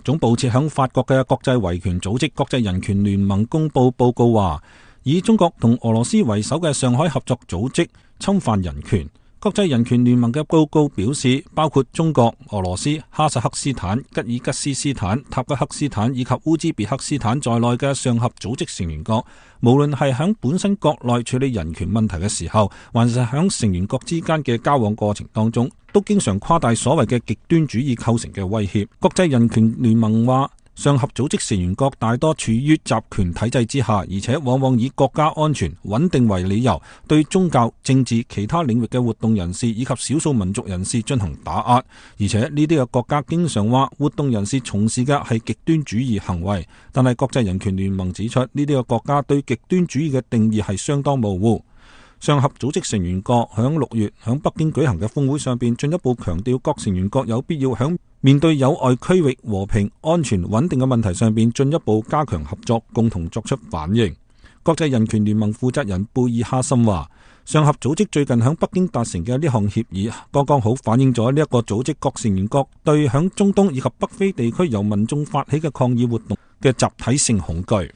總部設響法國嘅國際維權組織國際人權聯盟公佈報告話，以中國同俄羅斯為首嘅上海合作組織侵犯人權。國際人權聯盟嘅報告表示，包括中國、俄羅斯、哈薩克斯坦、吉爾吉斯斯坦、塔吉克斯坦以及烏茲別克斯坦在內嘅上合組織成員國，無論係響本身國內處理人權問題嘅時候，還是響成員國之間嘅交往過程當中，都經常誇大所謂嘅極端主義構成嘅威脅。國際人權聯盟話，上合組織成員國大多處於集權體制之下，而且往往以國家安全穩定為理由，對宗教、政治、其他領域嘅活動人士以及少數民族人士進行打壓。而且呢啲嘅國家經常話活動人士從事嘅係極端主義行為，但係國際人權聯盟指出，呢啲嘅國家對極端主義嘅定義係相當模糊。上合組織成員國響6月響北京舉行嘅峰會上邊，進一步強調各成員國有必要響面對有礙區域和平、安全、穩定嘅問題上邊進一步加強合作，共同作出反應。國際人權聯盟負責人貝爾哈森話，上合組織最近響北京達成嘅呢項協議，剛剛好反映咗呢一個組織各成員國對響中東以及北非地區由民眾發起嘅抗議活動嘅集體性恐懼。